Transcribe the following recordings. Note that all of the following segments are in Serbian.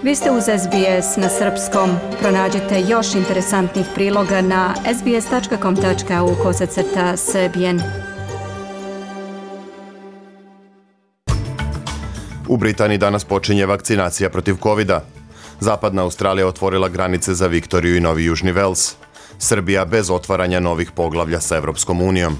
Vi ste uz SBS na srpskom. Pronađite još interesantnih priloga na sbs.com.au/srbijen. U Britaniji danas počinje vakcinacija protiv covida. Zapadna Australija otvorila granice za Viktoriju i Novi Južni Vels. Srbija bez otvaranja novih poglavlja sa Evropskom unijom.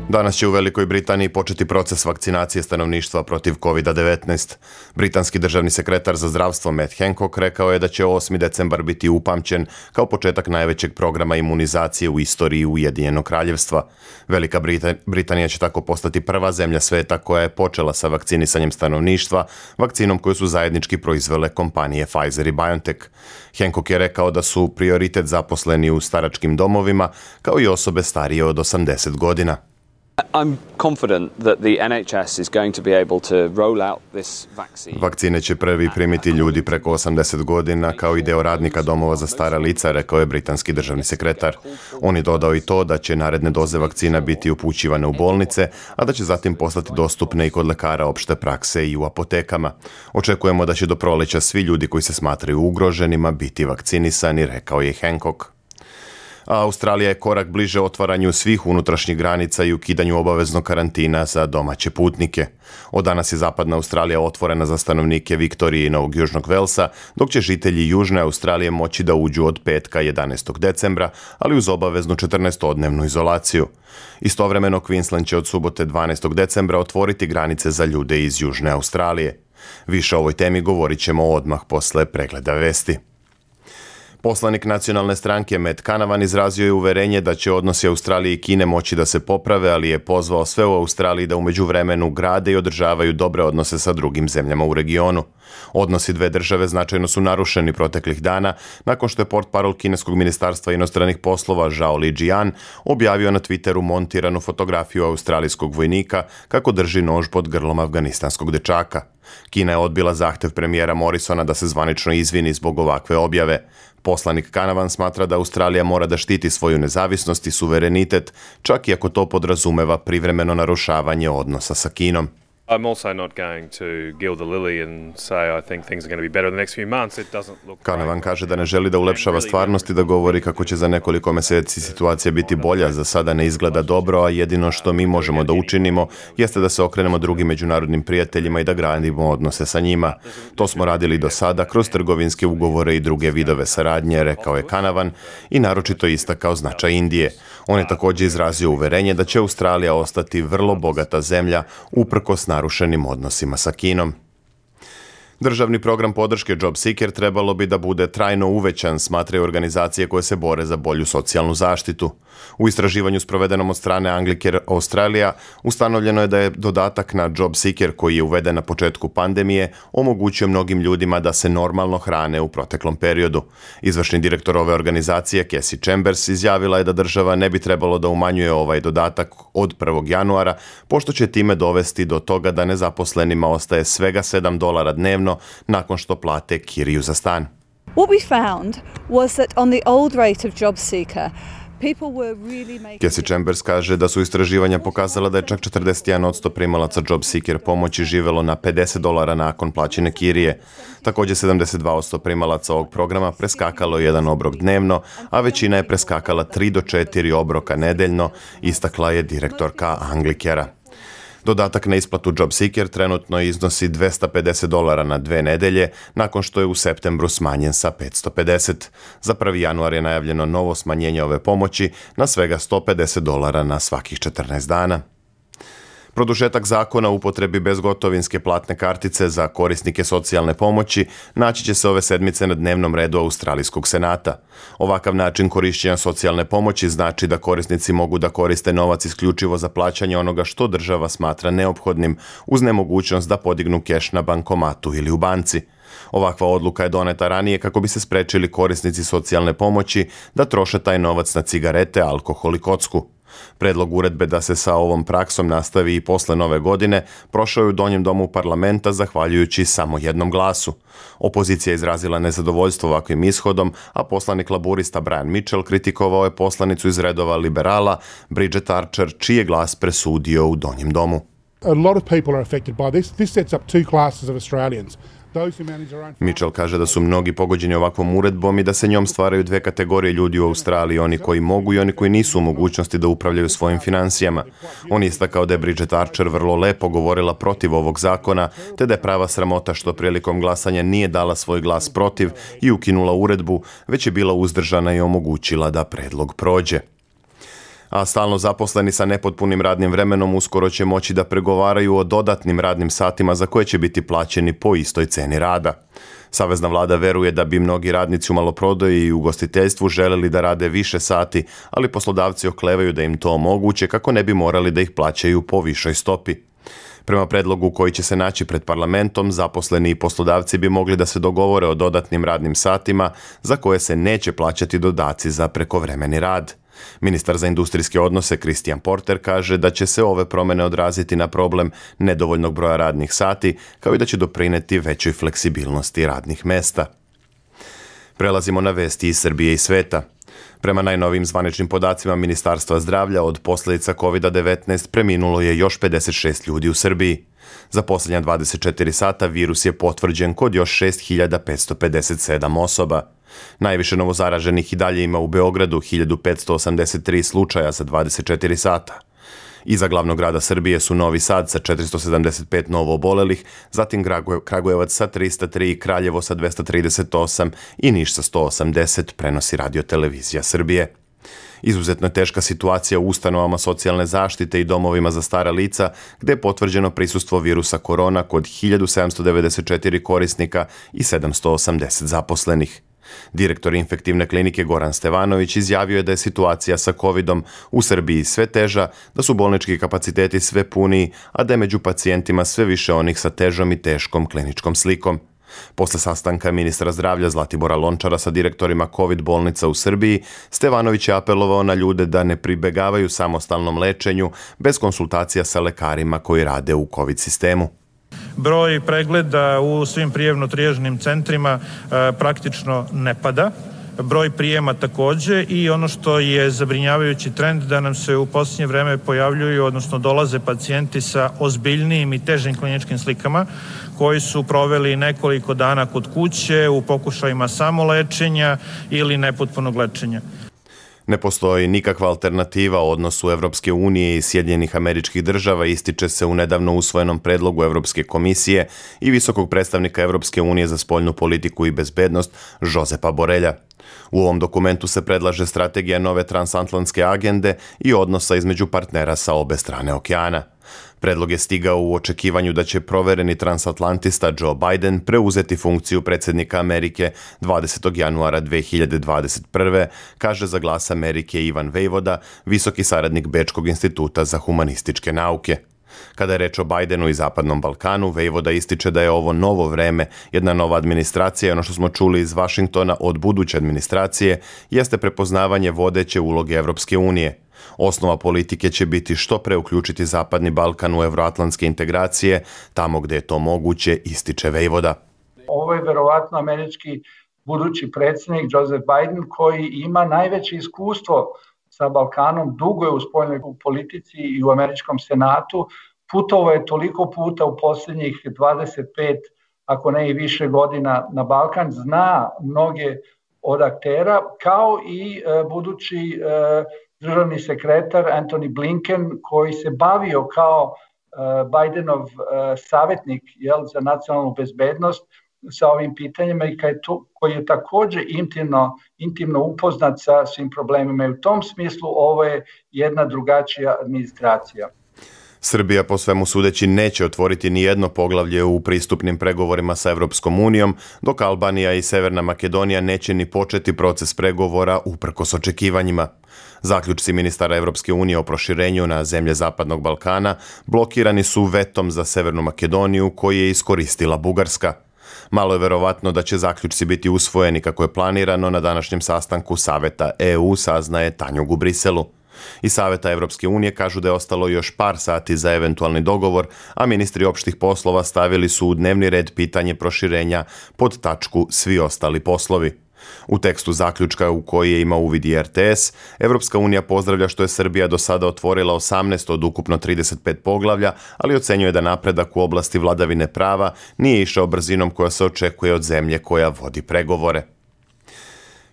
Danas će u Velikoj Britaniji početi proces vakcinacije stanovništva protiv COVID-19. Britanski državni sekretar za zdravstvo Matt Hancock rekao je da će 8. decembar biti upamćen kao početak najvećeg programa imunizacije u istoriji Ujedinjenog kraljevstva. Velika Britanija će tako postati prva zemlja sveta koja je počela sa vakcinisanjem stanovništva, vakcinom koju su zajednički proizvele kompanije Pfizer i BioNTech. Hancock je rekao da su prioritet zaposleni u staračkim domovima, kao i osobe starije od 80 godina. I'm confident that the NHS is going to be able to roll out this vaccine. Vakcine će prvi primiti ljudi preko 80 godina kao i deo radnika domova za stara lica, rekao je britanski državni sekretar. On je dodao i to da će naredne doze vakcina biti upućivane u bolnice, a da će zatim postati dostupne i kod lekara opšte prakse i u apotekama. Očekujemo da će do proleća svi ljudi koji se smatraju ugroženima biti vakcinisani, rekao je Hancock. A Australija je korak bliže otvaranju svih unutrašnjih granica i ukidanju obaveznog karantina za domaće putnike. Od danas je Zapadna Australija otvorena za stanovnike Viktorije i Novog Južnog Velsa, dok će žitelji Južne Australije moći da uđu od petka 11. decembra, ali uz obaveznu 14-dnevnu izolaciju. Istovremeno Queensland će od subote 12. decembra otvoriti granice za ljude iz Južne Australije. Više o ovoj temi govorit ćemo odmah posle pregleda vesti. Poslanik nacionalne stranke Matt Canavan izrazio je uverenje da će odnosi Australije i Kine moći da se poprave, ali je pozvao sve u Australiji da u međuvremenu grade i održavaju dobre odnose sa drugim zemljama u regionu. Odnosi dve države značajno su narušeni proteklih dana nakon što je portparol kineskog ministarstva inostranih poslova Zhao Lijian objavio na Twitteru montiranu fotografiju australijskog vojnika kako drži nož pod grlom afganistanskog dečaka. Kina je odbila zahtev premijera Morrisona da se zvanično izvini zbog ovakve objave. Poslanik Canavan smatra da Australija mora da štiti svoju nezavisnost i suverenitet, čak i ako to podrazumeva privremeno narušavanje odnosa sa Kinom. I'm also not going to gild the lily and say I think things are going to be better in the next few months. It doesn't look. Canavan kaže da ne želi da ulepšava stvarnost i da govori kako će za nekoliko meseci situacija biti bolja. Za sada ne izgleda dobro, a jedino što mi možemo da učinimo jeste da se okrenemo drugim međunarodnim prijateljima i da gradimo odnose sa njima. To smo radili do sada kroz trgovinske ugovore i druge vidove saradnje, rekao je Canavan i naročito istakao značaj Indije. On je također izrazio uverenje da će Australija ostati vrlo bogata zemlja uprkos narušenim odnosima sa Kinom. Državni program podrške JobSeeker trebalo bi da bude trajno uvećan, smatraju organizacije koje se bore za bolju socijalnu zaštitu. U istraživanju sprovedenom od strane Anglicare Australia ustanovljeno je da je dodatak na JobSeeker koji je uveden na početku pandemije omogućio mnogim ljudima da se normalno hrane u proteklom periodu. Izvršni direktor ove organizacije, Cassie Chambers, izjavila je da država ne bi trebalo da umanjuje ovaj dodatak od 1. januara, pošto će time dovesti do toga da nezaposlenima ostaje svega $7 dnevno nakon što plate kiriju za stan. What we found was that on the old rate of JobSeeker, Cassie Chambers kaže da su istraživanja pokazala da je čak 41% primalaca JobSeeker pomoći živelo na $50 nakon plaćene kirije. Također 72% primalaca ovog programa preskakalo jedan obrok dnevno, a većina je preskakala 3 do 4 obroka nedeljno, istakla je direktorka Anglicarea. Dodatak na isplatu JobSeeker trenutno iznosi $250 na 2 nedelje, nakon što je u septembru smanjen sa $550. Za 1. januar je najavljeno novo smanjenje ove pomoći na svega $150 na svakih 14 dana. Produžetak zakona o upotrebi bezgotovinske platne kartice za korisnike socijalne pomoći naći će se ove sedmice na dnevnom redu Australijskog senata. Ovakav način korišćenja socijalne pomoći znači da korisnici mogu da koriste novac isključivo za plaćanje onoga što država smatra neophodnim, uz nemogućnost da podignu keš na bankomatu ili u banci. Ovakva odluka je doneta ranije kako bi se sprečili korisnici socijalne pomoći da troše taj novac na cigarete, alkohol i kocku. Predlog uredbe da se sa ovom praksom nastavi i posle nove godine prošao je u donjem domu parlamenta zahvaljujući samo jednom glasu. Opozicija je izrazila nezadovoljstvo ovakvim ishodom, a poslanik laburista Brian Mitchell kritikovao je poslanicu iz redova liberala Bridget Archer, čiji je glas presudio u donjem domu. A lot of people are affected by this. This sets up two classes of Australians. Mitchell kaže da su mnogi pogođeni ovakvom uredbom i da se njom stvaraju dve kategorije ljudi u Australiji, oni koji mogu i oni koji nisu u mogućnosti da upravljaju svojim financijama. On je istakao da je Bridget Archer vrlo lepo govorila protiv ovog zakona, te da je prava sramota što prilikom glasanja nije dala svoj glas protiv i ukinula uredbu, već je bila uzdržana i omogućila da predlog prođe. A stalno zaposleni sa nepotpunim radnim vremenom uskoro će moći da pregovaraju o dodatnim radnim satima za koje će biti plaćeni po istoj ceni rada. Savezna vlada veruje da bi mnogi radnici u maloprodaji i ugostiteljstvu želeli da rade više sati, ali poslodavci oklevaju da im to omoguće kako ne bi morali da ih plaćaju po višoj stopi. Prema predlogu koji će se naći pred parlamentom, zaposleni i poslodavci bi mogli da se dogovore o dodatnim radnim satima za koje se neće plaćati dodaci za prekovremeni rad. Ministar za industrijske odnose Christian Porter kaže da će se ove promjene odraziti na problem nedovoljnog broja radnih sati, kao i da će doprineti većoj fleksibilnosti radnih mesta. Prelazimo na vesti iz Srbije i sveta. Prema najnovijim zvaničnim podacima Ministarstva zdravlja, od posljedica COVID-19 preminulo je još 56 ljudi u Srbiji. Za posljednja 24 sata virus je potvrđen kod još 6557 osoba. Najviše novozaraženih i dalje ima u Beogradu, 1583 slučaja za 24 sata. Iza glavnog grada Srbije su Novi Sad sa 475 novo obolelih, zatim Kragujevac sa 303, Kraljevo sa 238 i Niš sa 180, prenosi Radio televizija Srbije. Izuzetno je teška situacija u ustanovama socijalne zaštite i domovima za stara lica, gde je potvrđeno prisustvo virusa korona kod 1794 korisnika i 780 zaposlenih. Direktor infektivne klinike Goran Stevanović izjavio je da je situacija sa covidom u Srbiji sve teža, da su bolnički kapaciteti sve puniji, a da je među pacijentima sve više onih sa težom i teškom kliničkom slikom. Posle sastanka ministra zdravlja Zlatibora Lončara sa direktorima COVID bolnica u Srbiji, Stevanović je apelovao na ljude da ne pribegavaju samostalnom lečenju bez konsultacija sa lekarima koji rade u COVID sistemu. Broj pregleda u svim prijemno-trijažnim centrima praktično ne pada. Broj prijema takođe i ono što je zabrinjavajući trend da nam se u posljednje vreme pojavljuju, odnosno dolaze pacijenti sa ozbiljnijim i težim kliničkim slikama koji su proveli nekoliko dana kod kuće u pokušajima samolečenja ili nepotpunog lečenja. Ne postoji nikakva alternativa u odnosu Evropske unije i Sjedinjenih Američkih Država, ističe se u nedavno usvojenom predlogu Evropske komisije i visokog predstavnika Evropske unije za spoljnu politiku i bezbednost Josepa Borelja. U ovom dokumentu se predlaže strategija nove transatlantske agende i odnosa između partnera sa obe strane okeana. Predlog je stigao u očekivanju da će provereni transatlantista Joe Biden preuzeti funkciju predsjednika Amerike 20. januara 2021. kaže za Glas Amerike Ivan Vejvoda, visoki saradnik Bečkog instituta za humanističke nauke. Kada je reč o Bidenu i Zapadnom Balkanu, Vejvoda ističe da je ovo novo vreme, jedna nova administracija i ono što smo čuli iz Vašingtona od buduće administracije jeste prepoznavanje vodeće uloge Evropske unije. Osnova politike će biti što pre uključiti Zapadni Balkan u evroatlantske integracije, tamo gde je to moguće, ističe Vejvoda. Ovo je verovatno američki budući predsjednik Joseph Biden koji ima najveće iskustvo sa Balkanom, dugo je u spoljnoj politici i u američkom senatu, putovao je toliko puta u posljednjih 25, ako ne i više godina na Balkan, zna mnoge od aktera, kao i budući državni sekretar Antony Blinken koji se bavio kao Bidenov savjetnik za nacionalnu bezbednost sa ovim pitanjima i koji je također intimno upoznat sa svim problemima. I u tom smislu ovo je jedna drugačija administracija. Srbija po svemu sudeći neće otvoriti ni jedno poglavlje u pristupnim pregovorima sa Evropskom unijom, dok Albanija i Severna Makedonija neće ni početi proces pregovora uprkos očekivanjima. Zaključci ministara Evropske unije o proširenju na zemlje Zapadnog Balkana blokirani su vetom za Severnu Makedoniju koji je iskoristila Bugarska. Malo je verovatno da će zaključci biti usvojeni kako je planirano na današnjem sastanku Saveta EU, saznaje Tanjug u Briselu. Iz Saveta Evropske unije kažu da je ostalo još par sati za eventualni dogovor, a ministri opštih poslova stavili su u dnevni red pitanje proširenja pod tačku svi ostali poslovi. U tekstu zaključka u koji je imao uvid i RTS, Evropska unija pozdravlja što je Srbija do sada otvorila 18 od ukupno 35 poglavlja, ali ocenjuje da napredak u oblasti vladavine prava nije išao brzinom koja se očekuje od zemlje koja vodi pregovore.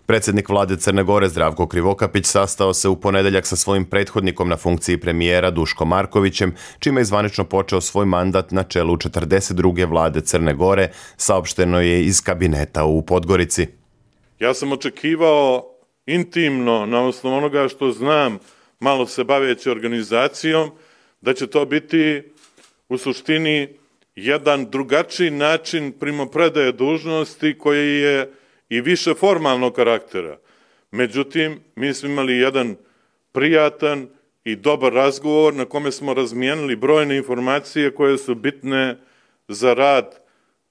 Predsjednik vlade Crne Gore Zdravko Krivokapić sastao se u ponedeljak sa svojim prethodnikom na funkciji premijera Duško Markovićem, čime je zvanično počeo svoj mandat na čelu 42. vlade Crne Gore, saopšteno je iz kabineta u Podgorici. Ja sam očekivao intimno, na osnovu onoga što znam, malo se baveći organizacijom, da će to biti u suštini jedan drugačiji način primopredaje dužnosti koji je i više formalnog karaktera. Međutim, mi smo imali jedan prijatan i dobar razgovor na kome smo razmijenili brojne informacije koje su bitne za rad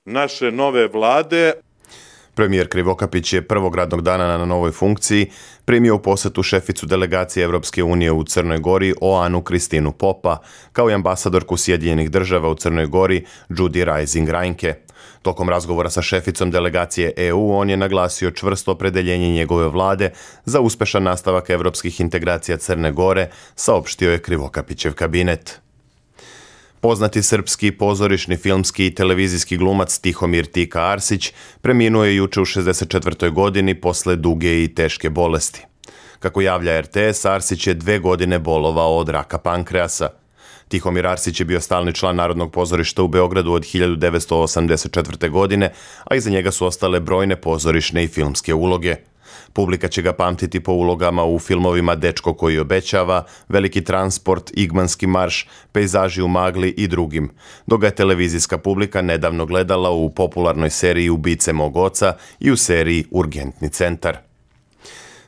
naše nove vlade. Premijer Krivokapić je prvog radnog dana na novoj funkciji primio u posetu šeficu delegacije Evropske unije u Crnoj Gori Oanu Kristinu Popa, kao i ambasadorku Sjedinjenih država u Crnoj Gori Judy Rising Reinke. Tokom razgovora sa šeficom delegacije EU on je naglasio čvrsto opredeljenje njegove vlade za uspešan nastavak evropskih integracija Crne Gore, saopštio je Krivokapićev kabinet. Poznati srpski pozorišni, filmski i televizijski glumac Tihomir Tika Arsić preminuo je juče u 64. godini posle duge i teške bolesti. Kako javlja RTS, Arsić je 2 godine bolovao od raka pankreasa. Tihomir Arsić je bio stalni član Narodnog pozorišta u Beogradu od 1984. godine, a iza njega su ostale brojne pozorišne i filmske uloge. Publika će ga pamtiti po ulogama u filmovima Dečko koji obećava, Veliki transport, Igmanski marš, Pejzaži u magli i drugim, dok ga je televizijska publika nedavno gledala u popularnoj seriji Ubice mog oca i u seriji Urgentni centar.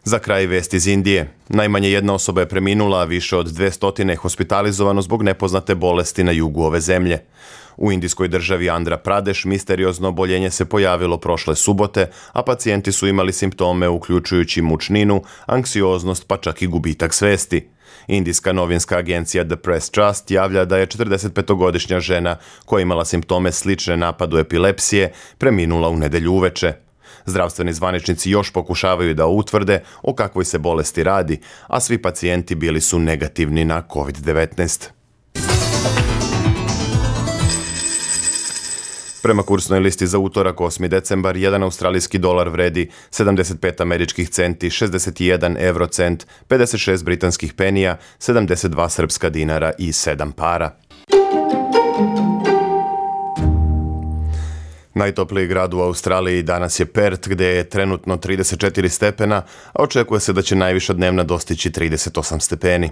Za kraj vest iz Indije. Najmanje jedna osoba je preminula, a više od 200 je hospitalizovano zbog nepoznate bolesti na jugu ove zemlje. U indijskoj državi Andhra Pradesh misteriozno oboljenje se pojavilo prošle subote, a pacijenti su imali simptome uključujući mučninu, anksioznost pa čak i gubitak svesti. Indijska novinska agencija The Press Trust javlja da je 45-godišnja žena koja imala simptome slične napadu epilepsije preminula u nedelju uveče. Zdravstveni zvaničnici još pokušavaju da utvrde o kakvoj se bolesti radi, a svi pacijenti bili su negativni na COVID-19. Prema kursnoj listi za utorak 8. decembar, 1 australijski dolar vredi 75 američkih centi, 61 eurocent, 56 britanskih penija, 72 srpska dinara i 7 para. Najtopliji grad u Australiji danas je Perth, gdje je trenutno 34 stepena, a očekuje se da će najviša dnevna dostići 38 stepeni.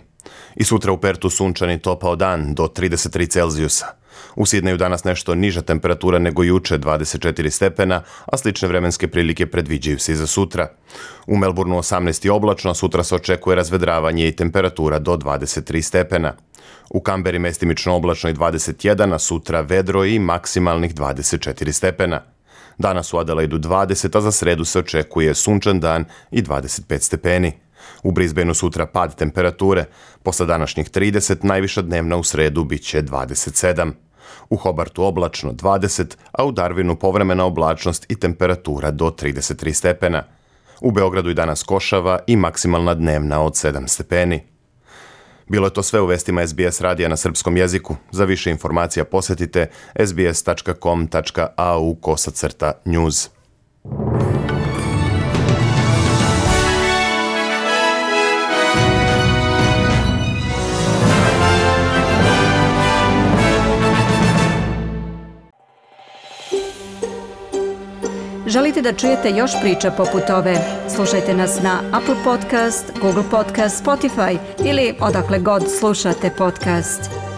I sutra u Perthu sunčan i topao dan do 33 Celzijusa. U Sidneju danas nešto niža temperatura nego juče, 24 stepena, a slične vremenske prilike predviđaju se i za sutra. U Melbourneu 18 je oblačno, sutra se očekuje razvedravanje i temperatura do 23 stepena. U Kamberi mestimično oblačno i 21, a sutra vedro i maksimalnih 24 stepena. Danas u Adelaidu 20, a za sredu se očekuje sunčan dan i 25 stepeni. U Brisbaneu sutra pad temperature, posle današnjih 30, najviša dnevna u sredu bit će 27. U Hobartu oblačno 20, a u Darwinu povremena oblačnost i temperatura do 33 stepena. U Beogradu i danas košava i maksimalna dnevna od 7 stepeni. Bilo je to sve u vestima SBS radija na srpskom jeziku. Za više informacija posjetite sbs.com.au/news. Želite da čujete još priča poput ove? Slušajte nas na Apple Podcast, Google Podcast, Spotify ili odakle god slušate podcast.